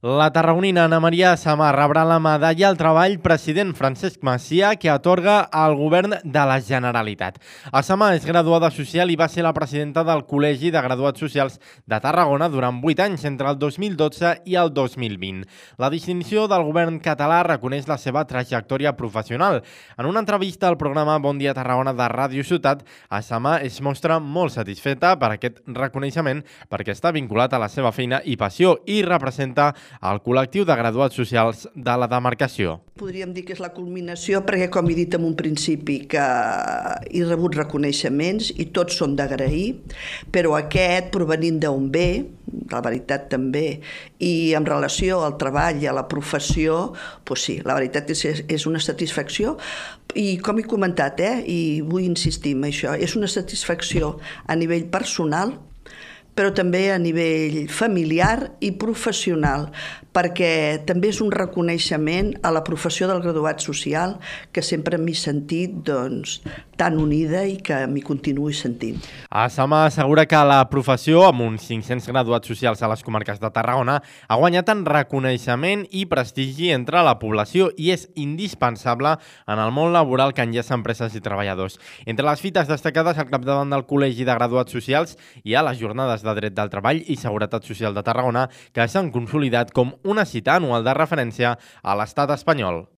La tarragonina Ana Maria Samar rebrà la medalla al treball president Francesc Macià que atorga al govern de la Generalitat. A Samar és graduada social i va ser la presidenta del Col·legi de Graduats Socials de Tarragona durant 8 anys, entre el 2012 i el 2020. La distinció del govern català reconeix la seva trajectòria professional. En una entrevista al programa Bon Dia Tarragona de Ràdio Ciutat, a Samar es mostra molt satisfeta per aquest reconeixement perquè està vinculat a la seva feina i passió i representa el col·lectiu de graduats socials de la demarcació. Podríem dir que és la culminació perquè, com he dit en un principi, que he rebut reconeixements i tots són d'agrair, però aquest, provenint d'on ve, la veritat també, i en relació al treball i a la professió, doncs sí, la veritat és una satisfacció. I com he comentat, i vull insistir en això, és una satisfacció a nivell personal, però també a nivell familiar i professional, perquè també és un reconeixement a la professió del graduat social que sempre m'he sentit tan unida i que m'hi continuï sentint. A Samar assegura que la professió, amb uns 500 graduats socials a les comarques de Tarragona, ha guanyat en reconeixement i prestigi entre la població i és indispensable en el món laboral que enllaça empreses i treballadors. Entre les fites destacades al capdavant del Col·legi de Graduats Socials hi ha les jornades de dret del treball i seguretat social de Tarragona, que s'han consolidat com una cita anual de referència a l'estat espanyol.